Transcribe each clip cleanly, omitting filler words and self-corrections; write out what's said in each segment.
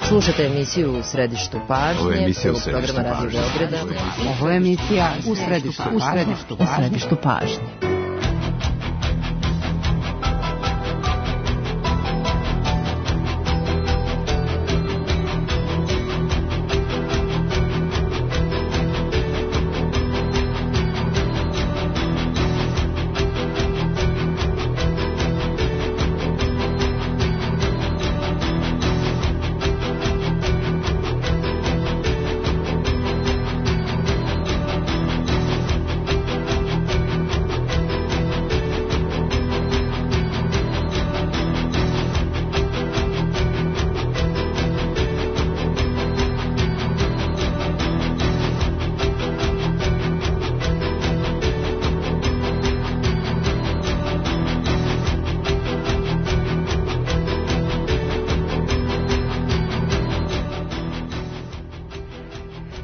Slušate emisiju U središtu pažnje, programa Radio Beograda. Ovo je emisija U središtu pažnje.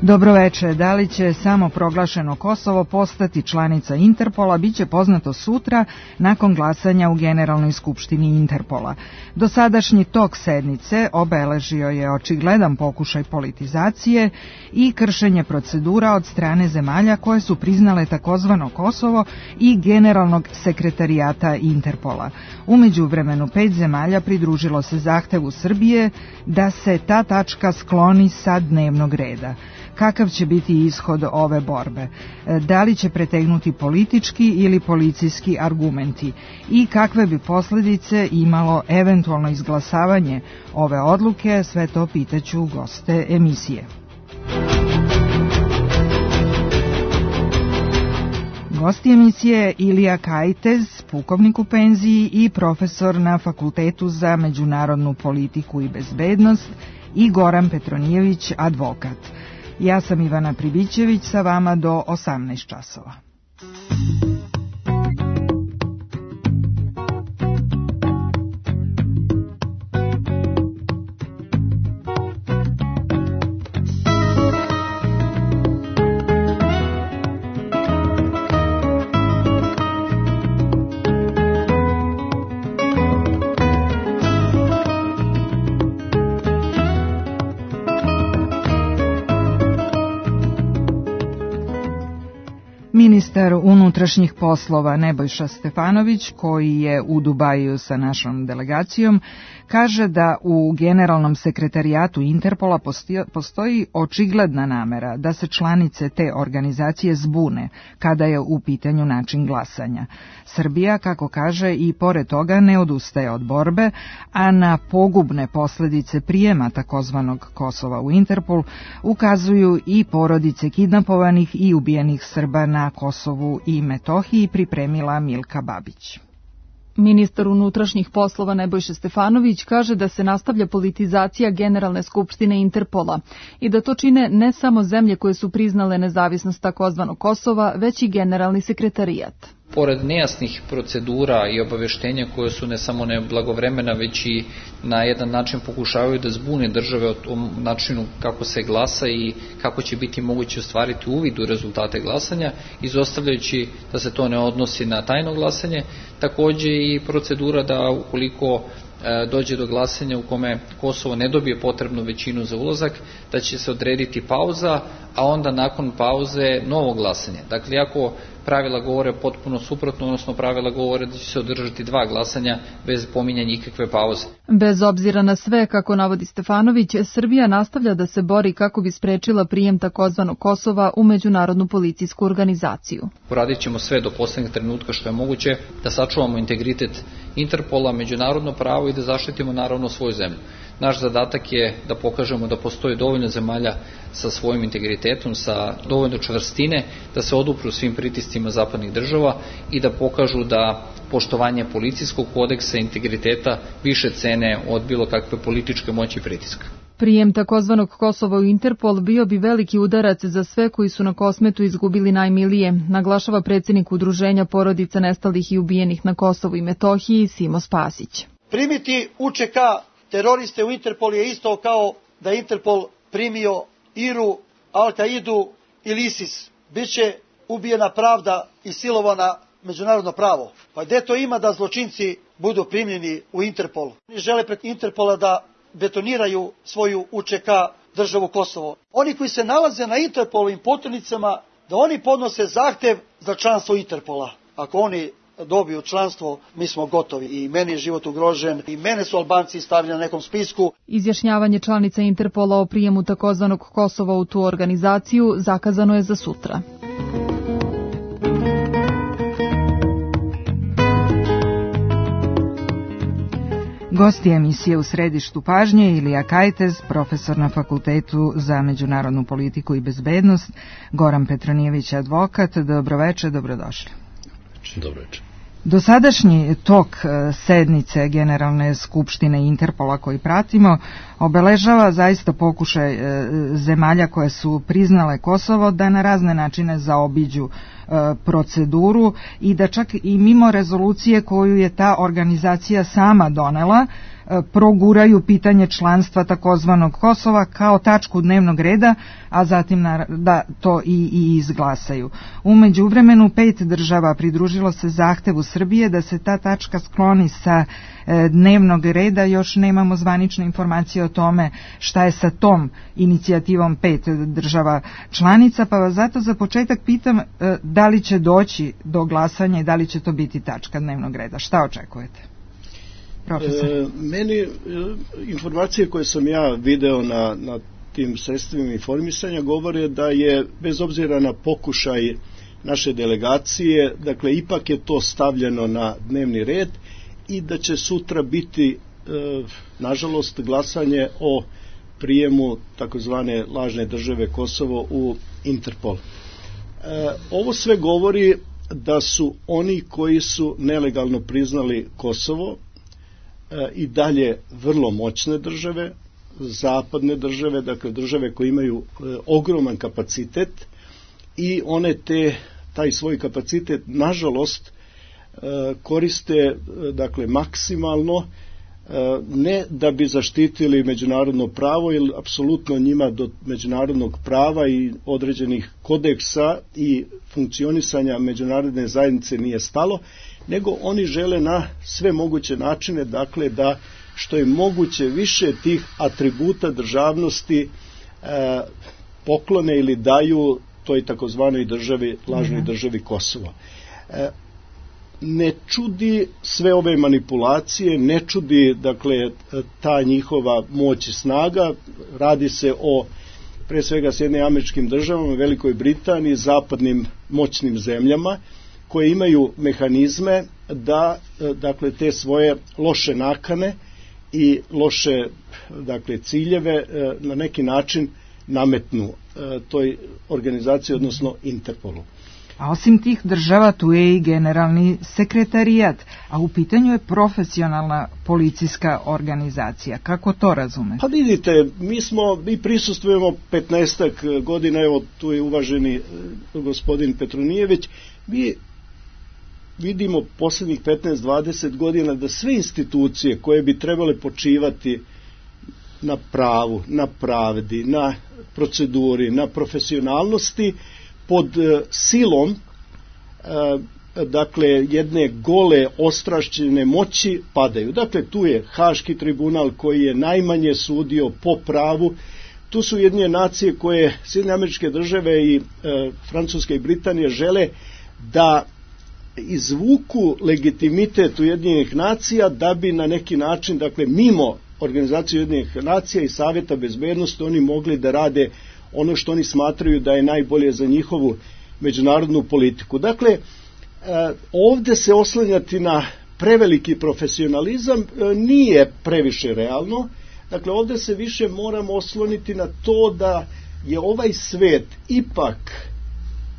Dobroveče, da li će samo proglašeno Kosovo postati članica Interpola biće poznato sutra nakon glasanja u Generalnoj skupštini Interpola. Dosadašnji tok sednice obeležio je očigledan pokušaj politizacije i kršenje procedura od strane zemalja koje su priznale takozvano Kosovo i Generalnog sekretarijata Interpola. U međuvremenu 5 zemalja pridružilo se zahtevu Srbije da se ta tačka skloni sa dnevnog reda. Kakav će biti ishod ove borbe? Da li će pretegnuti politički ili policijski argumenti? I kakve bi posljedice imalo eventualno izglasavanje ove odluke? Sve to pitaću goste emisije. Gosti emisije Ilija Kajtez, pukovnik u penziji i profesor na Fakultetu za međunarodnu politiku i bezbednost, i Goran Petronijević, advokat. Ja sam Ivana Pribićević, sa vama do 18 časova. Ministar unutrašnjih poslova Nebojša Stefanović, koji je u Dubaju sa našom delegacijom, kaže da u Generalnom sekretarijatu Interpola postoji očigledna namera da se članice te organizacije zbune kada je u pitanju način glasanja. Srbija, kako kaže, i pored toga ne odustaje od borbe, a na pogubne posljedice prijema takozvanog Kosova u Interpol ukazuju i porodice kidnapovanih i ubijenih Srba na Kosovu i Metohiji, pripremila Milka Babić. Ministar unutrašnjih poslova Nebojša Stefanović kaže da se nastavlja politizacija Generalne skupštine Interpola i da to čine ne samo zemlje koje su priznale nezavisnost takozvanog Kosova, već i Generalni sekretarijat. Pored nejasnih procedura i obaveštenja koje su ne samo neblagovremena, već i na jedan način pokušavaju da zbune države o tom načinu kako se glasa i kako će biti moguće ostvariti uvid u rezultate glasanja, izostavljajući da se to ne odnosi na tajno glasanje, takođe i procedura da ukoliko dođe do glasanja u kome Kosovo ne dobije potrebnu većinu za ulazak, da će se odrediti pauza, a onda nakon pauze novo glasanje. Dakle, ako pravila govore potpuno suprotno, odnosno pravila govore da će se održati 2 glasanja bez pominjanja ikakve pauze. Bez obzira na sve, kako navodi Stefanović, Srbija nastavlja da se bori kako bi sprečila prijem takozvanog Kosova u međunarodnu policijsku organizaciju. Uradit ćemo sve do poslednjeg trenutka što je moguće da sačuvamo integritet Interpola, međunarodno pravo i da zaštitimo naravno svoju zemlju. Naš zadatak je da pokažemo da postoji dovoljno zemalja sa svojim integritetom, sa dovoljno čvrstine, da se odupru svim pritiscima zapadnih država i da pokažu da poštovanje policijskog kodeksa i integriteta više cene od bilo kakve političke moći i pritiska. Prijem takozvanog Kosova u Interpol bio bi veliki udarac za sve koji su na Kosmetu izgubili najmilije, naglašava predsjednik Udruženja porodica nestalih i ubijenih na Kosovu i Metohiji Simo Spasić. Primiti UČK teroriste u Interpol je isto kao da Interpol primio IRU, Al-Kaidu ili ISIS. Biće ubijena pravda i silovana međunarodno pravo. Pa gde to ima da zločinci budu primljeni u Interpol? Oni žele pred Interpola da betoniraju svoju UČK državu Kosovo. Oni koji se nalaze na Interpolovim poternicama, da oni podnose zahtev za članstvo Interpola. Ako oni dobiju članstvo, mi smo gotovi. I meni je život ugrožen, i mene su Albanci stavili na nekom spisku. Izjašnjavanje članica Interpola o prijemu takozvanog Kosova u tu organizaciju zakazano je za sutra. Gosti emisije U središtu pažnje Ilija Kajtez, profesor na Fakultetu za međunarodnu politiku i bezbednost, Goran Petronijević, advokat. Dobroveče, dobrodošli. Dobroveče. Dosadašnji tok sednice Generalne skupštine Interpola koji pratimo obeležava zaista pokušaj zemalja koje su priznale Kosovo da na razne načine zaobiđu proceduru i da čak i mimo rezolucije koju je ta organizacija sama donela proguraju pitanje članstva takozvanog Kosova kao tačku dnevnog reda, a zatim da to i izglasaju. U međuvremenu 5 država pridružilo se zahtevu Srbije da se ta tačka skloni sa dnevnog reda. Još nemamo zvanične informacije o tome šta je sa tom inicijativom 5 država članica, pa vas zato za početak pitam da li će doći do glasanja i da li će to biti tačka dnevnog reda. Šta očekujete? Meni informacije koje sam ja video na tim sredstvima informisanja govore da je, bez obzira na pokušaj naše delegacije, dakle ipak je to stavljeno na dnevni red i da će sutra biti nažalost glasanje o prijemu takozvane lažne države Kosovo u Interpol. Ovo sve govori da su oni koji su nelegalno priznali Kosovo i dalje vrlo moćne države, zapadne države, dakle države koje imaju ogroman kapacitet i one taj svoj kapacitet nažalost koriste dakle maksimalno, ne da bi zaštitili međunarodno pravo, jer apsolutno njima do međunarodnog prava i određenih kodeksa i funkcionisanja međunarodne zajednice nije stalo, nego oni žele na sve moguće načine, dakle da što je moguće više tih atributa državnosti poklone ili daju toj takozvanoj državi, lažnoj državi Kosovo. Ne čudi sve ove manipulacije, ne čudi dakle ta njihova moć i snaga. Radi se o pre svega Sjedinjenim Američkim Državama, Velikoj Britaniji, zapadnim moćnim zemljama koje imaju mehanizme da dakle te svoje loše nakane i loše dakle ciljeve na neki način nametnu toj organizaciji, odnosno Interpolu. A osim tih država tu je i generalni sekretarijat, a u pitanju je profesionalna policijska organizacija. Kako to razumete? Pa vidite, mi prisustvujemo 15 godina, evo tu je uvaženi gospodin Petronijević, mi vidimo posljednjih 15-20 godina da sve institucije koje bi trebale počivati na pravu, na pravdi, na proceduri, na profesionalnosti, pod silom dakle jedne gole ostrašćene moći padaju. Dakle tu je Haški tribunal koji je najmanje sudio po pravu, tu su Ujedinjene nacije koje Sjedinjene Američke Države i Francuska i Britanija žele da izvuku legitimitet Ujedinjenih nacija da bi na neki način, dakle mimo organizacije Ujedinjenih nacija i Savjeta bezbednosti, oni mogli da rade ono što oni smatraju da je najbolje za njihovu međunarodnu politiku. Dakle, ovdje se oslanjati na preveliki profesionalizam nije previše realno. Dakle, ovdje se više moramo osloniti na to da je ovaj svet ipak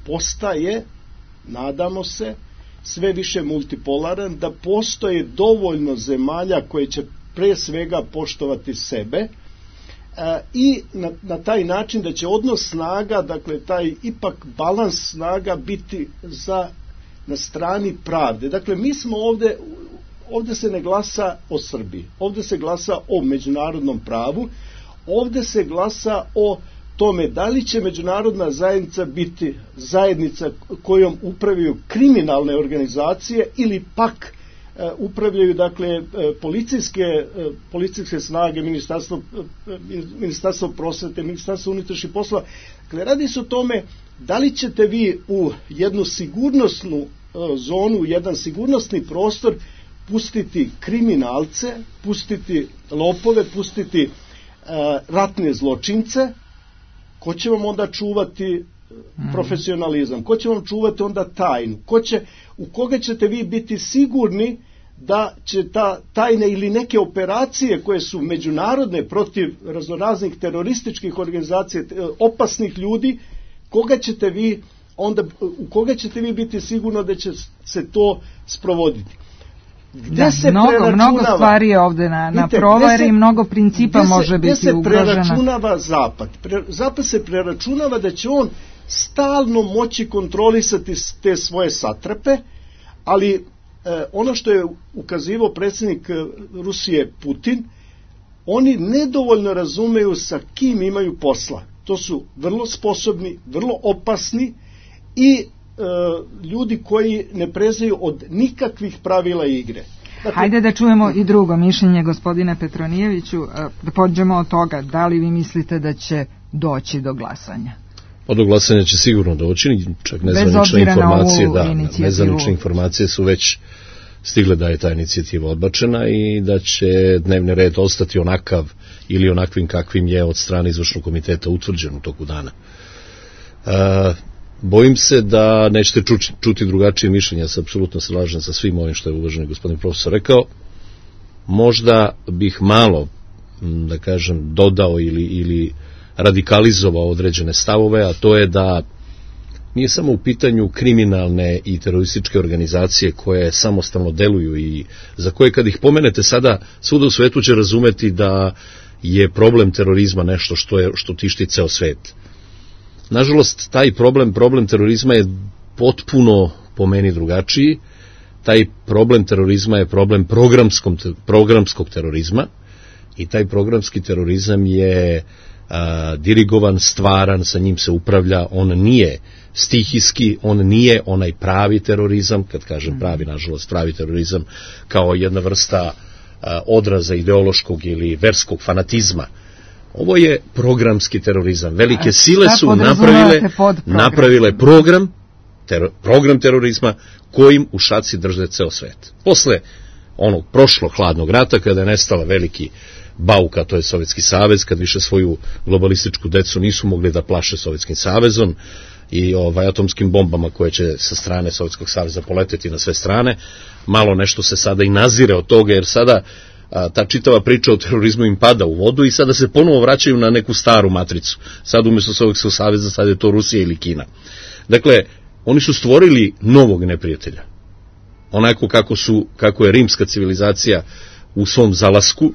postaje, nadamo se, sve više multipolaran, da postoje dovoljno zemalja koje će pre svega poštovati sebe i na taj način da će odnos snaga, dakle taj ipak balans snaga biti na strani pravde. Dakle, mi smo ovdje se ne glasa o Srbiji, ovdje se glasa o međunarodnom pravu, ovdje se glasa o tome da li će međunarodna zajednica biti zajednica kojom upravljaju kriminalne organizacije ili pak upravljaju, dakle, policijske snage, ministarstvo prosvete, ministarstvo unutrašnjih poslova. Dakle, radi se o tome da li ćete vi u jednu sigurnosnu zonu, jedan sigurnosni prostor pustiti kriminalce, pustiti lopove, pustiti ratne zločince. Ko će vam onda čuvati profesionalizam? Ko će vam čuvati onda tajnu? U koga ćete vi biti sigurni da će ta tajne ili neke operacije koje su međunarodne protiv raznoraznih terorističkih organizacija, opasnih ljudi, u koga ćete vi biti sigurno da će se to sprovoditi? Mnogo stvari je ovde na provari, mnogo principa može biti ugrožena. Gde se preračunava Zapad? Zapad se preračunava da će on stalno moći kontrolisati te svoje satrape, ali ono što je ukazivao predsjednik Rusije Putin, oni nedovoljno razumeju sa kim imaju posla. To su vrlo sposobni, vrlo opasni i ljudi koji ne prezaju od nikakvih pravila igre. Dakle, hajde da čujemo i drugo mišljenje, gospodine Petronijeviću, da pođemo od toga, da li vi mislite da će doći do glasanja? Pa do glasanja će sigurno doći, čak nezvanične informacije su već stigle da je ta inicijativa odbačena i da će dnevni red ostati onakav ili onakvim kakvim je od strane izvršnog komiteta utvrđen u toku dana. Bojim se da nećete čuti drugačije mišljenja, se apsolutno slažem sa svim ovim što je uvaženi gospodin profesor rekao. Možda bih malo, da kažem, dodao ili radikalizovao određene stavove, a to je da nije samo u pitanju kriminalne i terorističke organizacije koje samostalno deluju i za koje kad ih pomenete sada svuda u svetu će razumeti da je problem terorizma nešto što tišti ceo svet. Nažalost, taj problem terorizma je potpuno po meni drugačiji. Taj problem terorizma je problem programskog terorizma i taj programski terorizam je dirigovan, stvaran, sa njim se upravlja, on nije stihijski, on nije onaj pravi terorizam, kad kažem pravi, nažalost, pravi terorizam kao jedna vrsta odraza ideološkog ili verskog fanatizma. Ovo je programski terorizam. Velike sile su napravile program terorizma kojim u šaci drže ceo svet. Posle onog prošlog hladnog rata, kada je nestala veliki bauka, to je Sovjetski savez, kad više svoju globalističku decu nisu mogli da plaše Sovjetskim savezom i atomskim bombama koje će sa strane Sovjetskog saveza poleteti na sve strane, malo nešto se sada i nazire od toga, jer sada ta čitava priča o terorizmu im pada u vodu i sada se ponovo vraćaju na neku staru matricu. Sad umjesto Sovjetskog saveza sad je to Rusija ili Kina. Dakle, oni su stvorili novog neprijatelja. Onako kako je rimska civilizacija u svom zalasku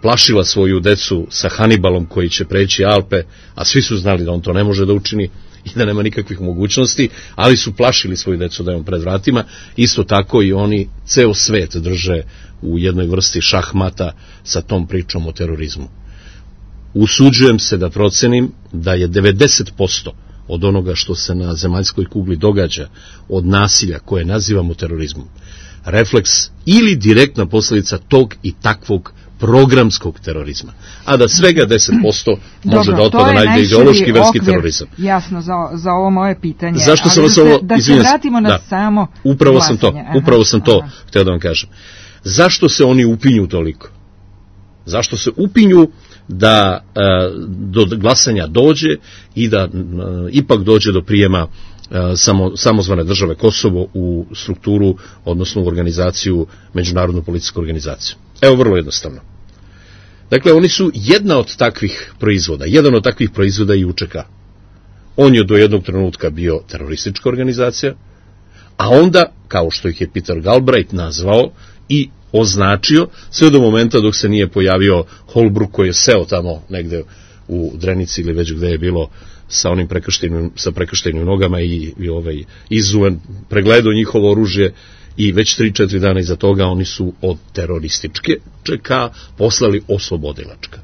plašila svoju decu sa Hanibalom koji će preći Alpe, a svi su znali da on to ne može da učini i da nema nikakvih mogućnosti, ali su plašili svoju decu da je on pred vratima. Isto tako i oni ceo svet drže u jednoj vrsti šahmata sa tom pričom o terorizmu. Usuđujem se da procenim da je 90% od onoga što se na zemaljskoj kugli događa od nasilja koje nazivamo terorizmom refleks ili direktna posljedica tog i takvog programskog terorizma, a da svega 10% može da otpada na ideološki verski terorizam. Jasno, za ovo moje pitanje. Zašto sam vas ovo, da se vratimo na samo upravo sam to htio da vam kažem. Zašto se oni upinju toliko? Zašto se upinju da do glasanja dođe i da ipak dođe do prijema samozvane države Kosovo u strukturu, odnosno u organizaciju, međunarodnu policijsku organizaciju? Evo, vrlo jednostavno. Dakle, oni su jedan od takvih proizvoda i UČK. On je do jednog trenutka bio teroristička organizacija, a onda, kao što ih je Peter Galbraith nazvao i označio, sve do momenta dok se nije pojavio Holbrooke koji je seo tamo negde u Drenici ili već gde je bilo sa onim prekrštenim nogama i izuven, pregledao njihovo oružje i već 3-4 dana iza toga oni su od terorističke ČK poslali oslobodilačka.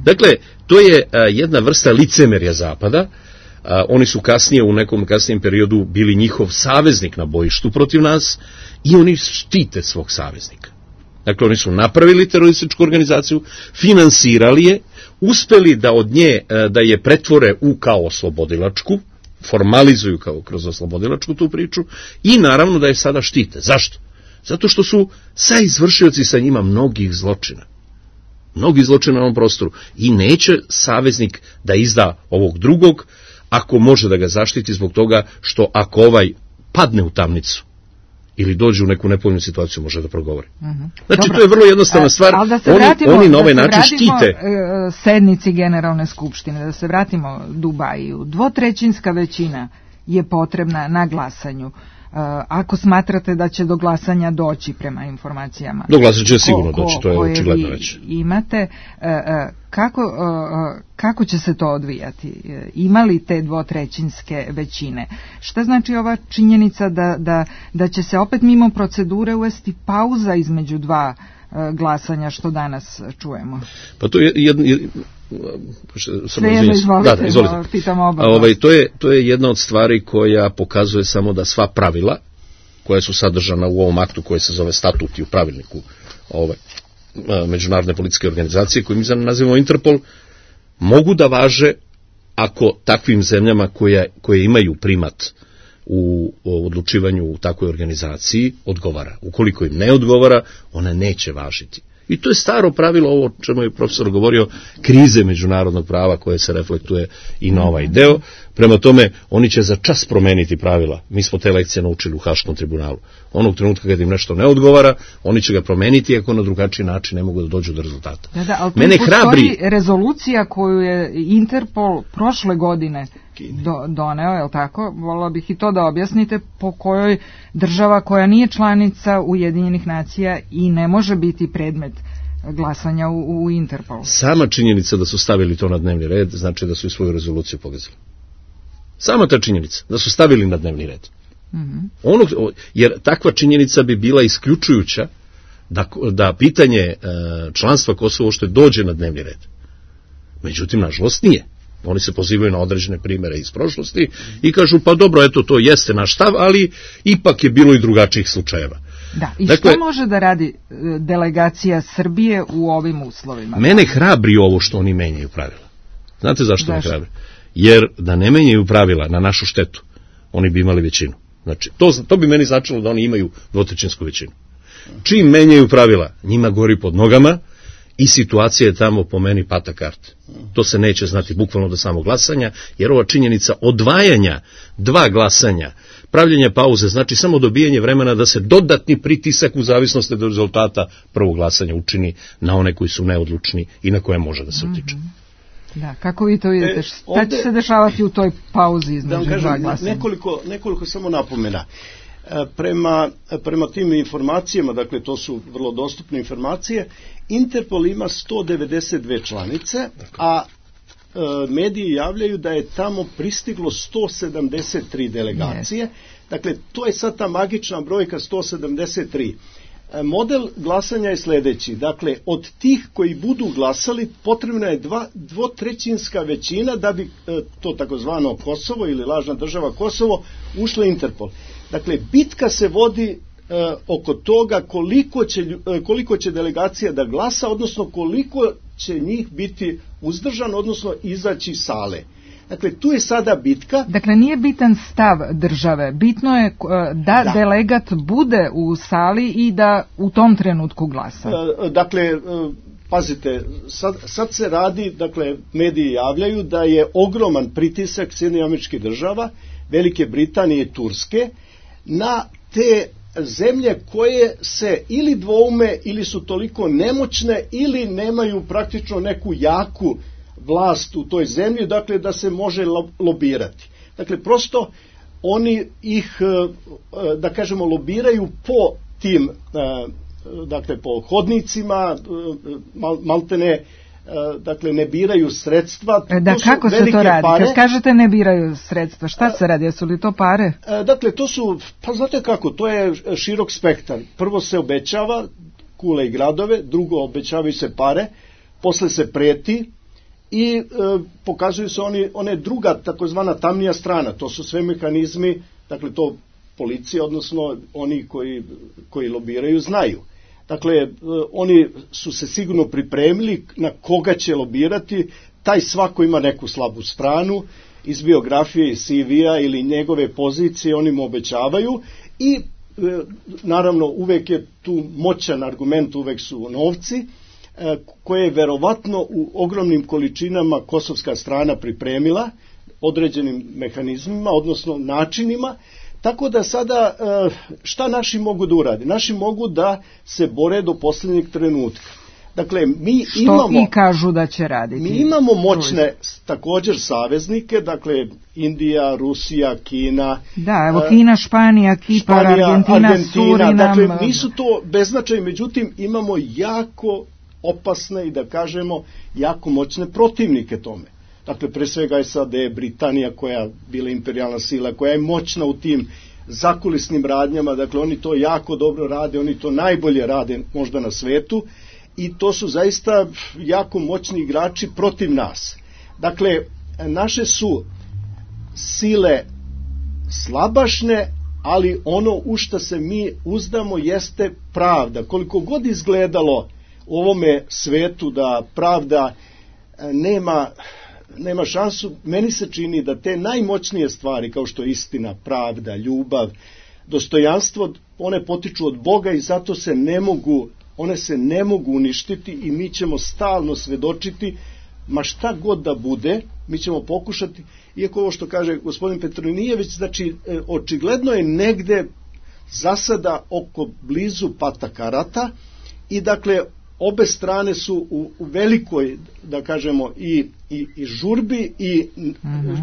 Dakle, to je jedna vrsta licemerja Zapada Oni su kasnije, u nekom kasnijem periodu, bili njihov saveznik na bojištu protiv nas i oni štite svog saveznika. Dakle, oni su napravili terorističku organizaciju, finansirali je, uspeli da od nje, da je pretvore u kao oslobodilačku, formalizuju kao kroz oslobodilačku tu priču i naravno da je sada štite. Zašto? Zato što su saizvršioci sa njima mnogih zločina na ovom prostoru i neće saveznik da izda ovog drugog ako može da ga zaštiti zbog toga što ako ovaj padne u tamnicu ili dođe u neku nepovoljnu situaciju može da progovori. Znači, dobro, to je vrlo jednostavna stvar. Oni na ovaj način štite. Sednici Generalne skupštine, da se vratimo Dubaju. 2/3 većina je potrebna na glasanju. Ako smatrate da će do glasanja doći prema informacijama. Do glasanja će sigurno doći, to je očigledno već. Imate, kako će se to odvijati? Ima li te 2/3 većine? Šta znači ova činjenica da će se opet mimo procedure uvesti pauza između dva glasanja što danas čujemo? Pa to je to je jedna od stvari koja pokazuje samo da sva pravila koja su sadržana u ovom aktu koje se zove statut i u pravilniku Međunarodne policijske organizacije koju mi nazivamo Interpol mogu da važe ako takvim zemljama koje imaju primat u odlučivanju u takvoj organizaciji odgovara. Ukoliko im ne odgovara, ona neće važiti. I to je staro pravilo, ovo o čemu je profesor govorio, krize međunarodnog prava koje se reflektuje i na ovaj deo. Prema tome, oni će za čas promeniti pravila. Mi smo te lekcije naučili u Haškom tribunalu. Onog trenutka kad im nešto ne odgovara, oni će ga promeniti ako na drugačiji način ne mogu da dođu do rezultata. Ali tu postoji rezolucija koju je Interpol prošle godine doneo, je li tako? Volila bih i to da objasnite, po kojoj država koja nije članica Ujedinjenih nacija i ne može biti predmet glasanja u Interpolu. Sama činjenica da su stavili to na dnevni red znači da su i svoju rezoluciju pogazili. Sama ta činjenica da su stavili na dnevni red. Jer takva činjenica bi bila isključujuća da pitanje članstva Kosova što dođe na dnevni red. Međutim, nažalost nije. Oni se pozivaju na određene primere iz prošlosti i kažu pa dobro, eto to jeste naš stav, ali ipak je bilo i drugačijih slučajeva. Da, i dakle, što može da radi delegacija Srbije u ovim uslovima? Mene hrabri ovo što oni menjaju pravila. Znate zašto me hrabri? Jer da ne menjaju pravila na našu štetu, oni bi imali većinu. Znači, to bi meni značilo da oni imaju 2/3 većinu. Čim menjaju pravila, njima gori pod nogama i situacija je tamo po meni pata karte. To se neće znati bukvalno do samog glasanja, jer ova činjenica odvajanja 2 glasanja, pravljenje pauze, znači samo dobijanje vremena da se dodatni pritisak u zavisnosti od rezultata prvog glasanja učini na one koji su neodlučni i na koje može da se utiče. Da, kako vi to vidite? Šta će se dešavati u toj pauzi između 2 glasanja? Nekoliko samo napomena. Prema tim informacijama, dakle to su vrlo dostupne informacije, Interpol ima 192 članice, a mediji javljaju da je tamo pristiglo 173 delegacije. Dakle, to je sad ta magična brojka 173. Model glasanja je sljedeći. Dakle, od tih koji budu glasali potrebna je 2/3 većina da bi to takozvano Kosovo ili lažna država Kosovo ušla u Interpol. Dakle, bitka se vodi oko toga koliko će delegacija da glasa, odnosno koliko će njih biti uzdržano, odnosno izaći iz sale. Dakle, tu je sada bitka. Dakle, nije bitan stav države. Bitno je da delegat bude u sali i da u tom trenutku glasa. Dakle, pazite, sad se radi, dakle, mediji javljaju da je ogroman pritisak Sjedinjenih Američkih Država, Velike Britanije i Turske na te zemlje koje se ili dvoume ili su toliko nemoćne ili nemaju praktično neku jaku vlast u toj zemlji, dakle da se može lobirati. Dakle, prosto oni ih, da kažemo, lobiraju po tim, dakle po hodnicima, maltene, dakle ne biraju sredstva. Da, kako se to radi? Pare. Kad kažete ne biraju sredstva, šta se radi? Jesu li to pare? Dakle, to su, pa znate kako, to je širok spektar. Prvo se obećava kule i gradove, drugo obećavaju se pare, posle se preti i pokazuju se one druga takozvana tamnija strana, to su sve mehanizmi, dakle to policija, odnosno oni koji lobiraju znaju. Dakle, oni su se sigurno pripremili na koga će lobirati, taj svako ima neku slabu stranu, iz biografije, iz CV-a ili njegove pozicije oni mu obećavaju i naravno uvek je tu moćan argument, uvek su novci, koje je verovatno u ogromnim količinama kosovska strana pripremila određenim mehanizmima, odnosno načinima, tako da sada šta naši mogu da uradi? Naši mogu da se bore do posljednjeg trenutka. Dakle, mi imamo... Što i kažu da će raditi. Mi imamo moćne također saveznike, dakle Indija, Rusija, Kina... Da, evo Kina, Španija, Kipar, Argentina, Surinam... Dakle, nisu to beznačajni, međutim imamo jako opasne i da kažemo jako moćne protivnike tome. Dakle, pre svega SAD, Britanija koja je bila imperijalna sila, koja je moćna u tim zakulisnim radnjama, dakle oni to jako dobro rade, oni to najbolje rade možda na svetu i to su zaista jako moćni igrači protiv nas. Dakle, naše su sile slabašne, ali ono u šta se mi uzdamo jeste pravda. Koliko god izgledalo u ovome svetu da pravda nema šansu, meni se čini da te najmoćnije stvari kao što je istina, pravda, ljubav, dostojanstvo, one potiču od Boga i zato one se ne mogu uništiti i mi ćemo stalno svedočiti, ma šta god da bude, mi ćemo pokušati, iako ovo što kaže gospodin Petronijević, znači očigledno je negde zasada oko blizu pata karata i dakle obe strane su u velikoj, da kažemo, i žurbi i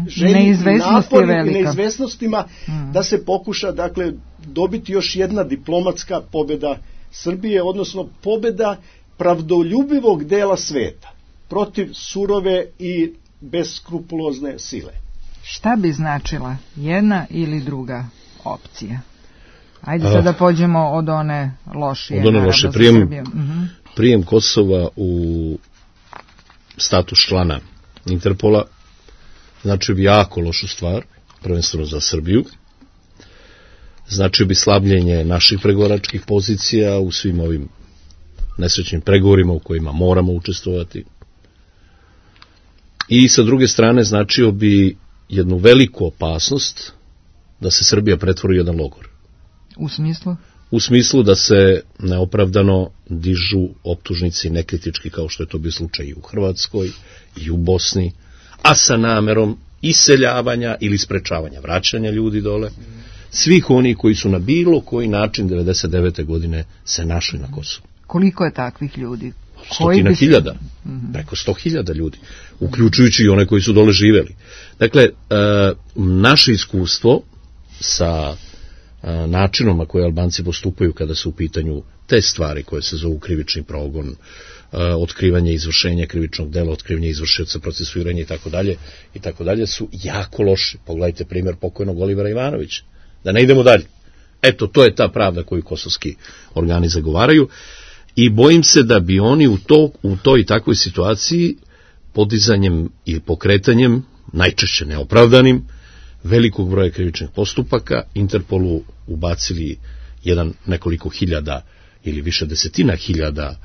želji, napori i neizvesnostima da se pokuša, dakle, dobiti još jedna diplomatska pobjeda Srbije, odnosno pobjeda pravdoljubivog dela sveta protiv surove i beskrupulozne sile. Šta bi značila jedna ili druga opcija? Ajde sada pođemo od one lošije. Od one loše. Prijem Kosova u status člana Interpola značio bi jako lošu stvar, prvenstveno za Srbiju. Značio bi slabljenje naših pregovaračkih pozicija u svim ovim nesrećnim pregovorima u kojima moramo učestvovati. I sa druge strane značio bi jednu veliku opasnost da se Srbija pretvori u jedan logor. U smislu? U smislu da se neopravdano dižu optužnici nekritički kao što je to bio slučaj i u Hrvatskoj i u Bosni, a sa namerom iseljavanja ili sprečavanja vraćanja ljudi dole, svih oni koji su na bilo koji način 99. godine se našli na Kosovu. Koliko je takvih ljudi? Stotina hiljada, preko 100.000 ljudi, uključujući i one koji su dole živeli. Dakle, naše iskustvo sa načinom na koje Albanci postupaju kada su u pitanju te stvari koje se zovu krivični progon, otkrivanje izvršenja krivičnog dela, otkrivanje izvršioca, procesuiranje i tako dalje su jako loši. Pogledajte primjer pokojnog Olivera Ivanovića. Da ne idemo dalje. Eto, to je ta pravda koju kosovski organi zagovaraju i bojim se da bi oni u toj takvoj situaciji podizanjem i pokretanjem, najčešće neopravdanim, velikog broja krivičnih postupaka, Interpolu ubacili nekoliko hiljada ili više desetina hiljada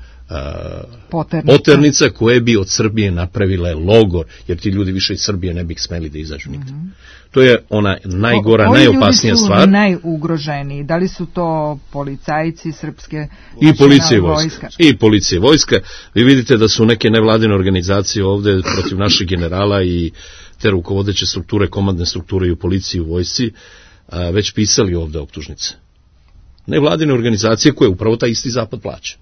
poternica koje bi od Srbije napravile logor, jer ti ljudi više iz Srbije ne bi smeli da izađu nikad. To je ona najgora, najopasnija stvar. Koji ljudi su najugroženiji? Da li su to policajci srpske? I policija i vojska. I policija i vojska. Vi vidite da su neke nevladine organizacije ovde protiv naših generala i te rukovodeće strukture, komandne strukture i u policiji i u vojsci već pisali ovde optužnice. Nevladine organizacije koje upravo taj isti zapad plaća.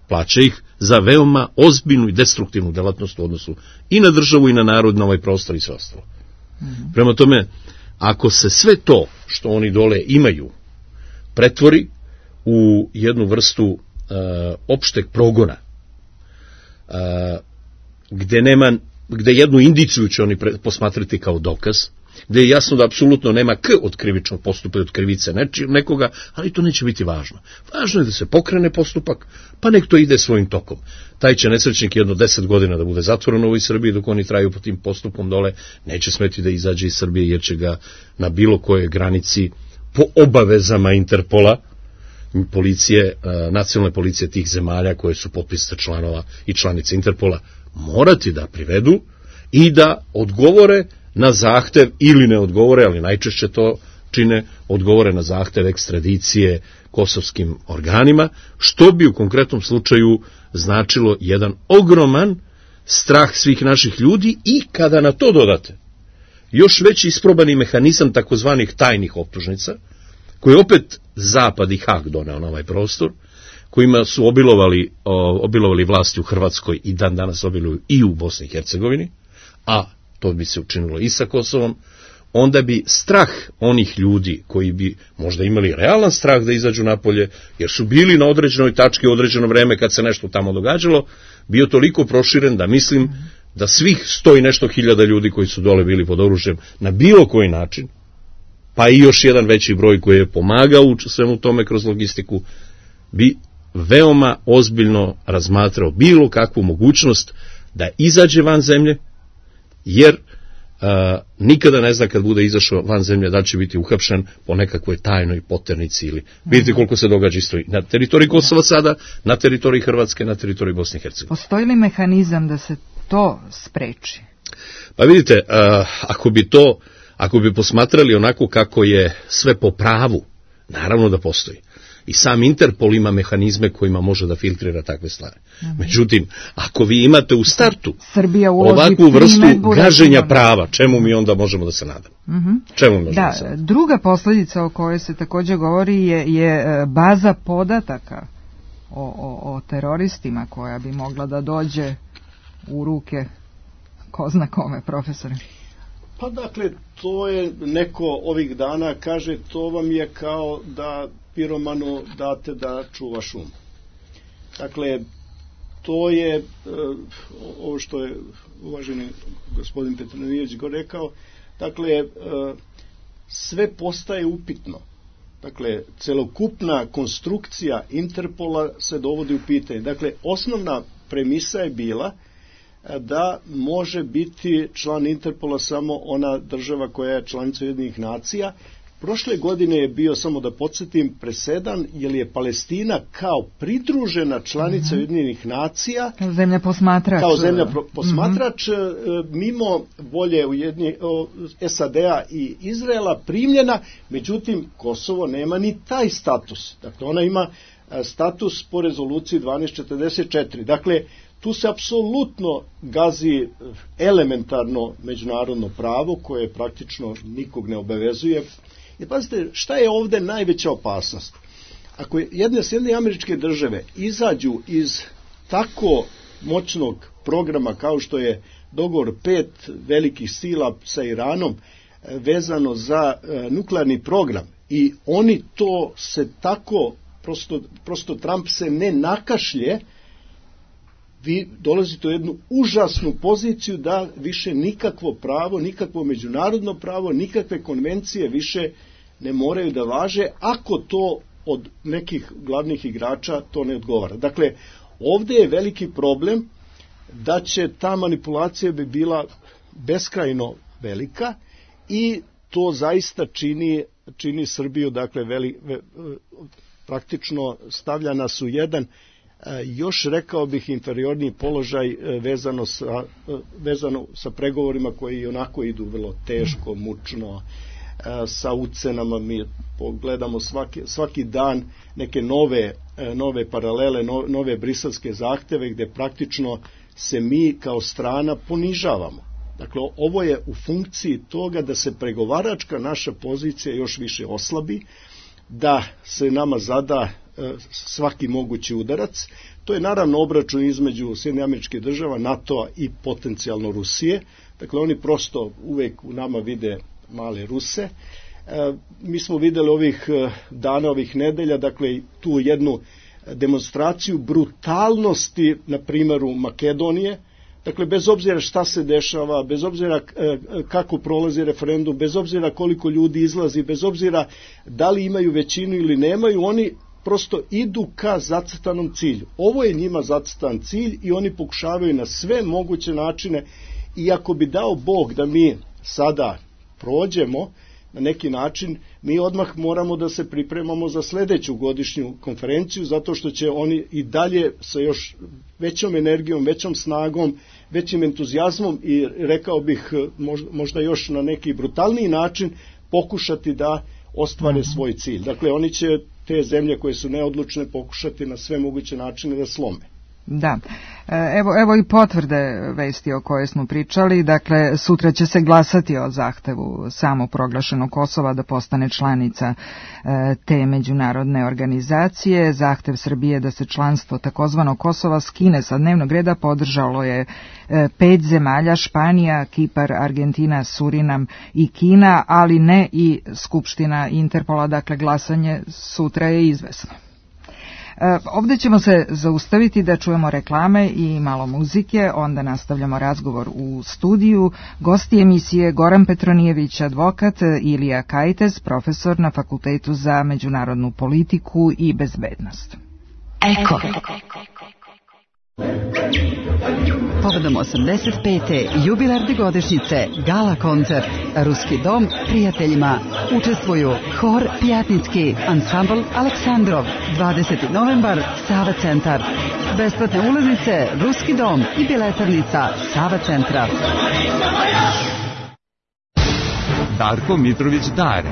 Plaća ih za veoma ozbiljnu i destruktivnu delatnost u odnosu i na državu i na narod, na ovaj prostor i sve ostalo. Prema tome, ako se sve to što oni dole imaju pretvori u jednu vrstu opšteg progona, gde jednu indiciju će oni posmatrati kao dokaz gde je jasno da apsolutno nema k od krivičnog postupka i od krivice nekoga, ali to neće biti važno. Važno je da se pokrene postupak, pa nek to ide svojim tokom. Taj će nesrećnik jedno 10 godina da bude zatvoren u ovoj Srbiji, dok oni traju po tim postupkom dole, neće smeti da izađe iz Srbije, jer će ga na bilo kojoj granici po obavezama Interpola, policije, nacionalne policije tih zemalja koje su potpisnice članova i članice Interpola, morati da privedu i da odgovore na zahtev ili ne odgovore, ali najčešće to čine, odgovore na zahtev ekstradicije kosovskim organima, što bi u konkretnom slučaju značilo jedan ogroman strah svih naših ljudi i kada na to dodate još veći isprobani mehanizam takozvanih tajnih optužnica, koji opet Zapad i Hag doneo na ovaj prostor, kojima su obilovali vlasti u Hrvatskoj i dan danas obiluju i u Bosni i Hercegovini, a to bi se učinilo i sa Kosovom, onda bi strah onih ljudi koji bi možda imali realan strah da izađu napolje, jer su bili na određenoj tački u određeno vreme kad se nešto tamo događalo, bio toliko proširen da mislim da svih 100 i nešto hiljada ljudi koji su dole bili pod oružjem na bilo koji način, pa i još jedan veći broj koji je pomagao u svemu tome kroz logistiku, bi veoma ozbiljno razmatrao bilo kakvu mogućnost da izađe van zemlje, jer nikada ne zna kad bude izašao van zemlje da će biti uhapšen po nekakvoj tajnoj poternici ili vidite koliko se događa isto na teritoriji Kosova sada, na teritoriji Hrvatske, na teritoriji Bosne i Hercegovine. Postoji li mehanizam da se to spreči? Pa vidite, ako bi posmatrali onako kako je sve po pravu, naravno da postoji. I sam Interpol ima mehanizme kojima može da filtrira takve stvari. Međutim, ako vi imate u startu ovakvu vrstu gaženja prava, čemu mi onda možemo da se nadamo? Čemu možemo da se nadamo? Druga posljedica o kojoj se također govori je baza podataka o teroristima koja bi mogla da dođe u ruke ko zna kome, profesore. Pa dakle, to je neko ovih dana kaže, to vam je kao da piromanu date da čuva šum. Dakle, to je ovo što je uvaženi gospodin Petronijević go rekao, dakle, sve postaje upitno. Dakle, celokupna konstrukcija Interpola se dovodi u pitanje. Dakle, osnovna premisa je bila da može biti član Interpola samo ona država koja je članica Ujedinjenih nacija. Prošle godine je bio, samo da podsjetim, presedan, jer je Palestina kao pridružena članica Ujedinjenih nacija, kao zemlja posmatrač, mimo volje SAD-a i Izraela primljena, međutim Kosovo nema ni taj status. Dakle, ona ima status po rezoluciji 1244. Dakle, tu se apsolutno gazi elementarno međunarodno pravo koje praktično nikog ne obavezuje. I pazite, šta je ovdje najveća opasnost? Ako Sjedinjene Američke Države izađu iz tako moćnog programa kao što je dogovor 5 velikih sila sa Iranom vezano za nuklearni program i oni to se tako, prosto Trump se ne nakašlje, vi dolazite u jednu užasnu poziciju da više nikakvo pravo, nikakvo međunarodno pravo, nikakve konvencije više ne moraju da važe ako to od nekih glavnih igrača to ne odgovara. Dakle, ovdje je veliki problem da će ta manipulacija bi bila beskrajno velika i to zaista čini Srbiju, dakle, praktično stavlja nas u jedan još, rekao bih, inferiorniji položaj vezano sa pregovorima koji onako idu vrlo teško, mučno, sa ucenama. Mi pogledamo svaki dan neke nove paralele, nove briselske zahteve gdje praktično se mi kao strana ponižavamo. Dakle, ovo je u funkciji toga da se pregovaračka naša pozicija još više oslabi, da se nama zada svaki mogući udarac. To je naravno obračun između Sjedinjenih Američkih Država, NATO-a i potencijalno Rusije. Dakle, oni prosto uvijek u nama vide male Ruse. Mi smo vidjeli ovih dana, ovih nedelja, dakle, tu jednu demonstraciju brutalnosti na primjeru Makedonije. Dakle, bez obzira šta se dešava, bez obzira kako prolazi referendum, bez obzira koliko ljudi izlazi, bez obzira da li imaju većinu ili nemaju, oni prosto idu ka zacrtanom cilju. Ovo je njima zacrtan cilj i oni pokušavaju na sve moguće načine, i ako bi dao Bog da mi sada prođemo na neki način, mi odmah moramo da se pripremamo za sledeću godišnju konferenciju, zato što će oni i dalje sa još većom energijom, većom snagom, većim entuzijazmom i rekao bih možda još na neki brutalniji način pokušati da ostvare svoj cilj. Dakle, oni će te zemlje koje su neodlučne pokušati na sve moguće načine da slome. Da, evo i potvrde vesti o kojoj smo pričali. Dakle, sutra će se glasati o zahtevu samoproglašenog Kosova da postane članica te međunarodne organizacije. Zahtev Srbije da se članstvo takozvanog Kosova skine sa dnevnog reda podržalo je 5 zemalja: Španija, Kipar, Argentina, Surinam i Kina, ali ne i Skupština Interpola. Dakle, glasanje sutra je izvesno. Ovdje ćemo se zaustaviti da čujemo reklame i malo muzike, onda nastavljamo razgovor u studiju. Gosti emisije Goran Petronijević, advokat, Ilija Kajtez, profesor na Fakultetu za međunarodnu politiku i bezbednost. Eko. Povodom 85. jubilarne godišnjice gala koncert Ruski dom prijateljima učestvuju Hor Pjatnicki, ansambl Aleksandrov, 20. novembar, Sava centar. Besplatne ulaznice Ruski dom i biletarnica Sava centra. Darko Mitrović Dare.